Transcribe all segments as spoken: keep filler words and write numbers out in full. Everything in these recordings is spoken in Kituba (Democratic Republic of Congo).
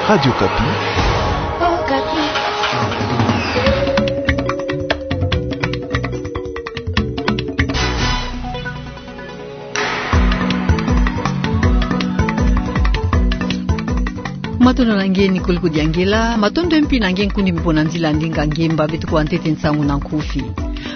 Radio Okapi. Matondo na nge, Nicole Kodiangela. Matondo mpi na nge, nkundi mpo na nzila ndinga ngemba beto kuwa ntete nsangu na nkufi.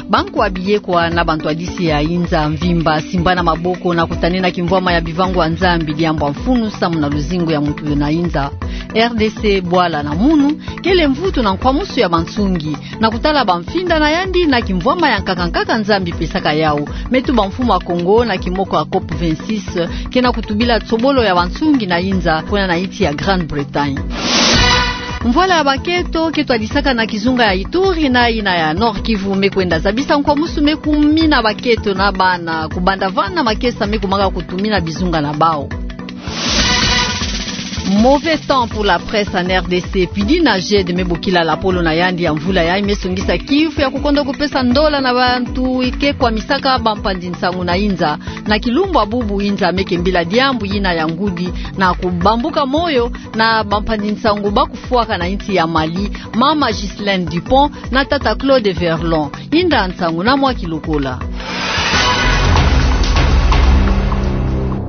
Bankwa biyekwa na bantwadisi ya inza mvimba simbana maboko na kutanina kimvwama ya bivangu ya Nzambi diambu ya mfunu samu na luzingu ya mutu na inza R D C. Bwala na munu kele mvutu na nkwamusu ya bansungi na kutala bamfinda na yandi na kimvwama ya nkaka nkaka Nzambi pesaka yau, me tuba mfumu a Kongo na kimoko ya COP vingt-six, ke na kutubila tsobolo ya bansungi na inza kuna na insi ya Grande-Bretagne. Mvwala ya baketo ke twadisaka na kizunga ya Ituri na yina ya Nord-Kivu me kwenda zabisa nkwamusu me kumina baketo na bana, kubanda vana makesa me kumaka kutumina bizunga na bau. Mauvais temps pour la presse en R D C, pidi na GED me bokila lapolo na yandi ya mvula yayi me songisa kifu ya kukonda kupesa ndola na bantu ke kwamisaka bampanzi nsangu na inza. Na kilumbu ya bubu inza me kembila diambu yina ya ngudi na kubambuka moyo na bampanzi nsangu ba kufwaka na insi ya Mali, mama Ghislaine Dupont na tata Claude Verlon. Inda nsangu na mwa kilokola.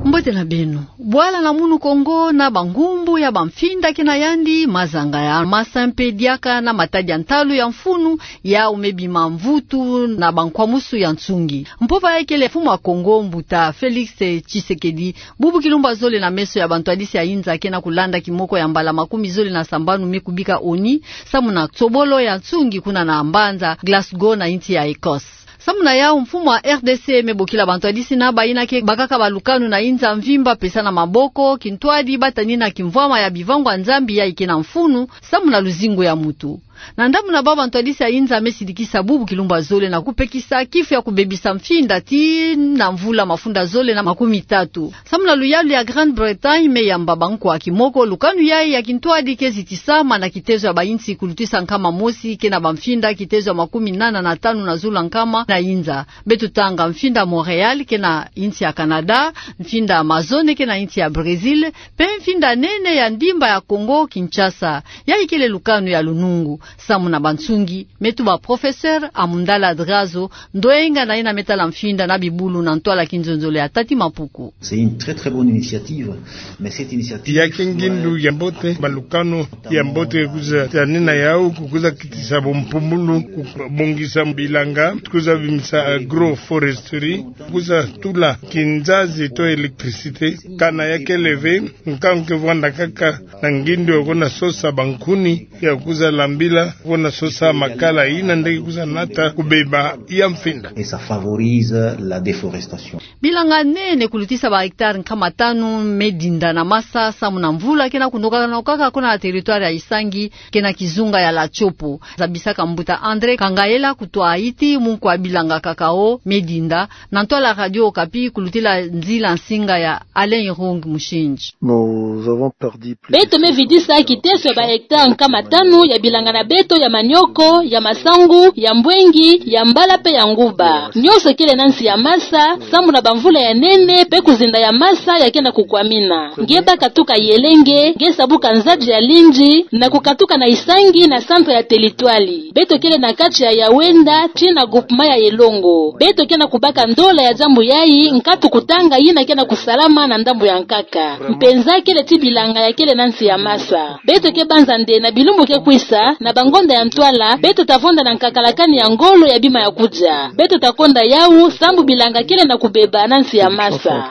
Mbote na beno. Bwala na munu Kongo na bangumbu ya bamfinda ke na yandi, mazanga ya masa mpe diaka na matadi ya ntalu ya mfunu, yau me bima mvutu na bankwamusu ya nsungi. Mpova yayi kele mfumu a Kongo mbuta Félix Tshisekedi, bubu kilumbu ya zole na meso ya bantwadisi ya inza ke na kulanda kimoko ya mbala makumi zole na sambanu me kubika ONU, samu na tsobolo ya nsungi kuna na mbanza Glasgow na insi ya Ecosse. Samu na yau mfumu a R D C me bokila bantwadisi na bayina ke bakaka balukanu na inza mvimba pesa na maboko kintwadi ba tanina kimvwama ya bivangu ya Nzambi yayi ke na mfunu samu na luzingu ya mutu. Na ndambu na bau bantwadisi ya inza me sidikisa bubu kilumbu ya zole na kupekisa kifu ya kubebisa mfinda tii na mvula mafunda zole na makumi tatu. Samu na luyalu ya Grande-Bretagne me yamba bankwa kimoko lukanu yayi ya kintwadi ke zitisama na kitezo ya bainsi kulutisa nkama mosi ke na bamfinda kitezo ya makumi nana na tanu na zulu ya nkama na inza. Beto tanga mfinda Montréal ke na insi ya Canada, mfinda Amazone ke na insi ya Brésil, mpe mfinda nene ya ndimba ya Congo Kinshasa. Yayi kele lukanu ya lunungu, samu na bansungi, me tuba professeur Amundala Drazo, ndwenga na yina me tala mfinda na bibulu na ntwala kinzonzolo ya Tati Mapuku. C'est une très, très bonne initiative, mais cette initiative... Ya ke ngindu ya mbote, balukanu ya mbote kwiza tanina yau, kwiza kitisa bumpumbulu, kubongisa bilanga, kwiza bimisa agroforesterie, kwiza tula kinzazi to électricité, kana ya kele ve, nkangu ke vwanda kaka na ngindu ya kona sosa bankuni, ya kwiza lambila, kona sosa makala, yina nde ke kwiza nata kubeba ya mfinda. Et ça favorise la déforestation. Bilanga nene kulutisa ba hectare nkama tanu me dinda na masa, samu na mvula ke na kunokana kaka kuna na territoire ya Isangi, ke na kizunga ya la Tshopo. Zabisaka mbuta André Kangaela kutwa iti munkwa bilanga cacao me dinda, na ntwala Radio Okapi kulutila nzila nsinga ya Alain Irung Mushindji. Nous avons perdu plus de... Beto me vidisa kiteso ya ba hectare nkama tanu ya bilanga na beto ya manioko, ya masangu, ya mbwengi, ya mbala mpe ya nguba. Nyonso kele na nsi ya masa, samu na bamvula ya nene, mpe kuzinda ya masa ya ke na kukwamina. Nge bâ katuka Yelenge, nge sabuka Nzadji ya Lindji, na kukatuka na Isangi na centre ya territoire. Beto kele na kati ya Yawenda, tii na groupement ya Elongo. Beto ke na kubaka ndola ya diambu yayi, nkatu kutanga yina ke na kusalama na ndambu ya nkaka. Mpenza kele ti bilanga ya kele na nsi ya masa. Beto ke banza nde na bilumbu ke kwisa, na bangonda ya ntwala, beto ta vonda na nkakalakani ya ngolo ya bima ya kudia. Beto ta konda yau, sambu bilanga kele na kubeba na nsi ya masa.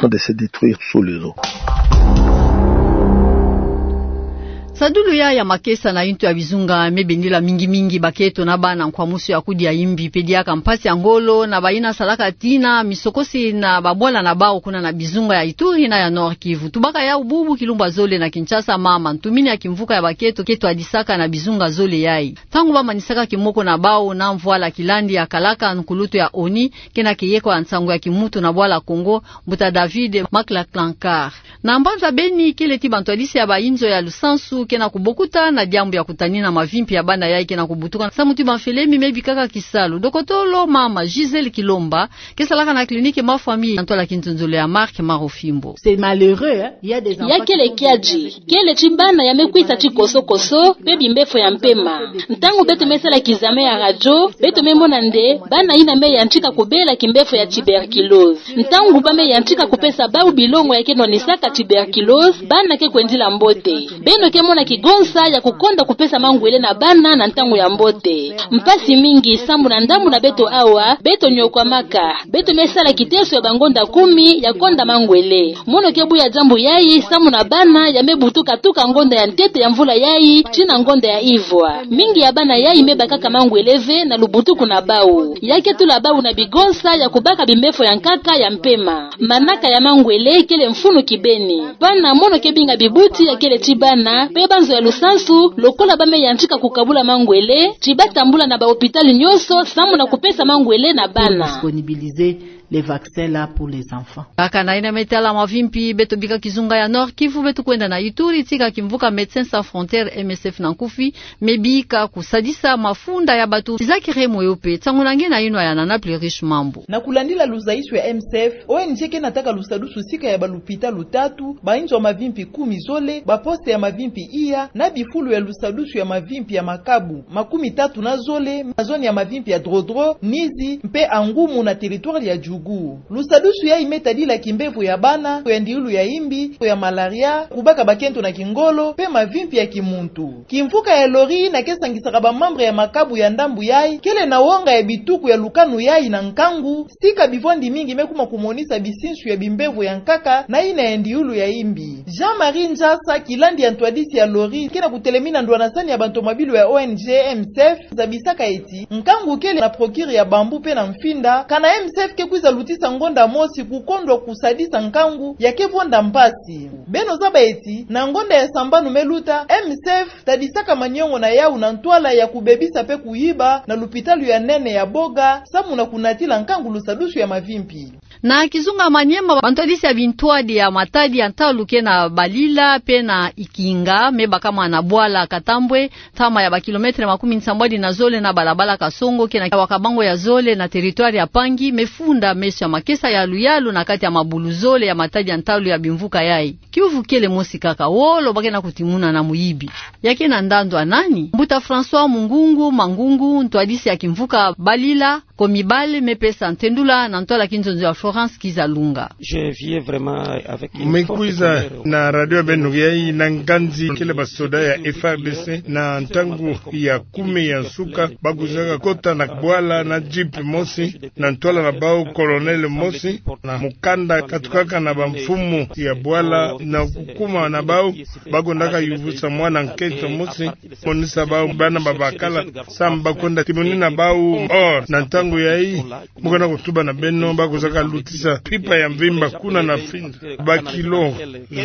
Sadulu ya, ya makesa na yintu ya bizunga me bendela mingi mingi baketo na bana nkwamusu ya kudia imbi mpe diaka mpasi ya ngolo na bayina salaka tina misokosi na babwala na bau kuna na bizunga ya Ituri na ya Nord-Kivu. Tubaka yau bubu kilumbu ya zole na Kinshasa, mama ntumini ya kimvuka ya baketo ke twadisaka na bizunga zole yayi. Ntangu bamanisaka kimoko na bau na mvwala kilandi ya kalaka, nkulutu ya ONU ke na keyeko ya nsangu ya kimuntu na bwala Kongo, mbuta David Maklaklankar. Na mbanza Beni, kele ti bantwadisi ya bayinzo ya lusansu Ke na kubokuta na diambu ya kutanina mavimpi ya bana yayi ke na kubutuka samu ti bamfele mi me bikaka kisalu. Dokotolo mama Gisèle Kilomba, ke salaka na clinique Ma Famille, na ntwala kinzonzolo ya Marc Marofimbo. C'est malheureux, hein. Il y a des enfants qui sont venus avec des... Ya kele kiadi, kele ti bana ya me kwisa ti koso-koso, pe bimbefo ya mpema. Ntangu beto me sala kizame ya radio, beto me mona nde bana yina me yantika kubela kimbefo ya tuberculose. Ntangu ba me yantika kupesa bau bilongo ya ke nwanisaka tuberculose, bana ke kwendila mbote. Beno ke mona kigonsa ya kukonda kupesa mangwele na bana na ntangu ya mbote. Mpasi mingi, samu na ndambu na beto awa, beto nyokwamaka. Beto me sala kiteso ya bangonda kumi ya konda mangwele. Mono ke buya diambu yayi, samu na bana ya me butuka tuka ngonda ya ntete ya mvula yayi tii na ngonda ya ivwa. Mingi ya bana yayi me bakaka mangwele ve na lubutuku na bau. Ya ke tula bau na bigonsa ya kubaka bimbefo ya nkaka ya mpema. Manaka ya mangwele kele mfunu kibeni. Bana, mono ke binga bibuti ya kele ti bana pe banzo ya lusansu, lokola ba me yantika kukabula mangwele, ti ba tambula na bahôpital nyonso samu na kupesa mangwele na bana. Disponibiliser les vaccins là pour les enfants. Kaka na yina me tala mavimpi, beto bika kizunga ya Nord-Kivu, beto kwenda na Ituri, tika kimvuka Médecins Sans Frontières, M S F na nkufi, me bika kusadisa mafunda ya bato. Isaac Remo yo pe, nsangu na nge na yinwa ya Nana Pluriche Mambu. Na kulandila luzaisu ya M S F, O N G ke nataka lusadusu sika ya balupitalu tatu, bainzo ya mavimpi kumi zole, baposte ya mavimpi iya, na bifulu ya lusadusu ya mavimpi ya makabu makumi tatu na zole, na zone ya mavimpi ya Drodro, Nizi, mpe Angumu na territoire ya Djugu. Lusadusu yayi me tadila kimbevo ya bana, ya ndiulu ya imbi, ya malaria, kubaka bakento na kingolo, mpe mavimpi ya kimuntu. Kimvuka ya lori yina ke sangisaka ba membre ya makabu ya ndambu yayi, kele na wonga ya bituku ya lukanu yayi na nkangu, sika bivwandi mingi me kuma kumonisa bisinsu ya bimbevo ya nkaka na yina ya ndiulu ya imbi. Jean-Marie Njasa, kilandi ya ntwadisi ya lori, ke na kutelemina ndwanasani ya bantomabilu ya O N G M S F, zabisaka ti nkangu kele na procure ya bambu mpe na mfinda, kana M S F ke kwiza lutisa ngonda mosi kukondwa kusadisa nkangu ya ke vonda mpasi. Beno zaba ti, na ngonda ya sambanu me luta, M S F tadisaka maniongo na yawu na ntwala ya kubebisa mpe kuyiba na lupitalu ya nene ya Boga, samu na kunatila nkangu lusadusu ya mavimpi. Na kizunga Maniema, bantwadisi ya bintwadi ya matadi ya ntalu ke na Balila mpe na Ikinga, me bakama na bwala Katambwe, ntama ya ba kilomètre makumi nsambwadi na zole na balabala Kasongo, ke na Wakabango ya zole na territoire ya Pangi, me funda meso ya makesa ya luyalu na kati ya mabulu zole ya matadi ya ntalu ya bimvuka yayi. Kiuvu kele mosi kaka, wolo ba ke na kutimuna na muyibi. Ya ke na ndandu ya nani? Mbuta François Mungungu Mangungu, ntwadisi ya kimvuka Balila, Komibale, me pesa ntendula na ntwala kinzonzo ya Florence Kizalunga. Je viens vraiment avec une forte colère. Me kwiza na radio ya beno yayi na nganzi kele basoda ya F A R D C na ntangu ya kumi ya nsuka, ba kwizaka kota na bwala na jeep mosi, na ntwala na bau colonel mosi, na mukanda katukaka na bamfumu ya bwala, na kukuma na bau, ba kwendaka yuvisa mwana nkento mosi, monisa bau bana babakala, samu ba kwenda timonina bau or. Na ntangu yayi, mu ke na kutuba na beno, ba kwizaka lutisa pipa ya mvimba kuna na mfinda, ba kilo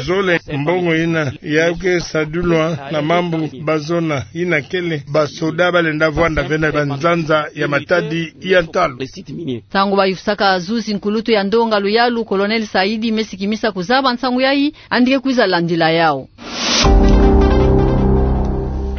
zole. Mbongo yina ya ke sadulwa na mambu bazona, yina kele basoda balenda vwanda ve na banzanza ya matadi ya ntalu. Ntangu bayufisaka zuzi nkulutu ya ndonga luyalu, Colonel Saidi, me sikimisa kuzaba nsangu yayi, yandi ke kwiza landila yawu.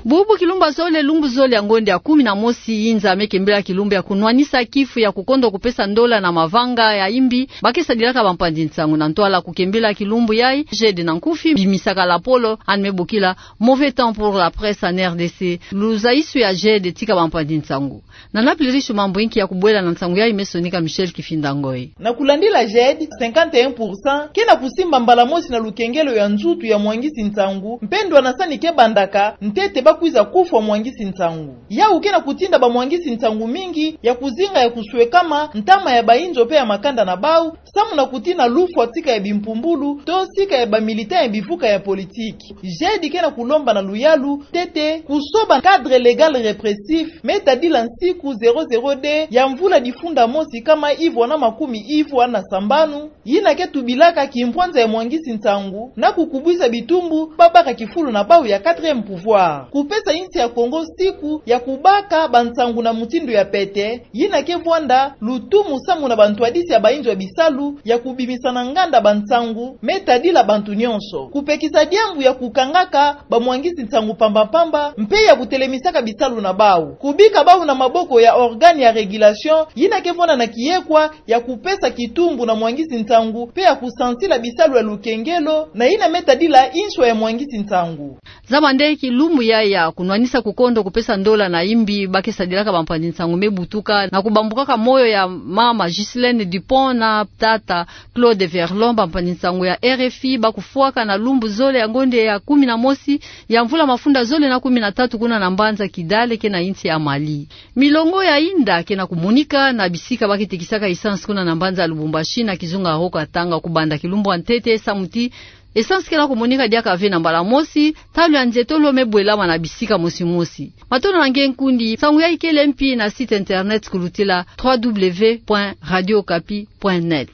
Bubu kilumbu ya zole, lumbu zole ya ngonde ya kumi na mosi, yinza me kembila kilumbu ya kunwanisa kifu ya kukondwa kupesa ndola na mavanga ya imbi ba ke sadilaka bampanzi nsangu. Na ntwala kukembila kilumbu yayi, GED na nkufi bimisaka lapolo yandi me bokila mauvais temps pour la presse en R D C. Luzaisu ya GED tika bampanzi nsangu. Nana Pluriche Mambu, inki ya kubwela na nsangu yayi, me sonika Michel Kifinda Ngoy. Na kulandila GED, cinquante et un pour cent ke na kusimba mbala mosi na lukengelo ya nzutu ya mwangisi nsangu, mpe ndwanasani ke bandaka ntete ba kwiza kufwa mwangisi nsangu. Yawu ke na kutinda bamwangisi nsangu mingi ya kuzinga ya kuswekama ntama ya bainzo mpe ya makanda na bau, samu na kutina lufwa sika ya bimpumbulu to sika ya bamilitant ya bivuka ya politiki. GED ke na kulomba na luyalu ntete kusoba cadre légal répressif me tadila nsiku zéro zéro deux ya mvula difunda mosi kama ivwa na makumi ivwa na sambanu, yina ke tubilaka kimpwanza ya mwangisi nsangu na kukubwisa bitumbu babaka kifulu na bau ya quatrième pouvoir. Ku Pesa insi ya Kongo siku ya kubaka bansangu na mutindu ya pete, yina ke vwanda lutumu samu na bantwadisi ya bayinzo ya bisalu ya kubimisa na nganda bansangu me tadila bantu nyonso. Kupekisa diambu ya kukangaka bamwangisi nsangu mpamba-mpamba, mpe ya kutelemisaka bisalu na bau. Kubika bau na maboko ya organe ya régulation, yina ke vwanda na kiyekwa ya kupesa kitumbu na mwangisi nsangu, mpe ya kusansila bisalu ya lukengelo, na yina me tadila inswa ya mwangisi nsangu. Zaba nde kilumbu yai ya kunwanisa kukondo kupesa ndola na imbi ba ke sadilaka bampanzi nsangu me butuka, na kubambukaka moyo ya mama Ghislaine Dupont na tata Claude Verlon, bampanzi nsangu ya R F I, ba kufwaka na lumbu zole ya ngonde ya kumi na mosi ya mvula mafunda zole na kumi na tatu kuna na mbanza Kidal, ke na insi ya Mali. Milongo ya inda ke na kumonika na bisika ba ke tekisaka essence kuna na mbanza Lubumbashi na kizunga Haut-Katanga kubanda kilumbu ya ntete samu ti essence ke na kumonika diaka ve na mbala mosi, ntalu ya nzetolo me bwelama na bisika mosi-mosi. Matondo na nge nkundi, nsangu yai kele mpi na site internet kulutila trois W point radio okapi point net.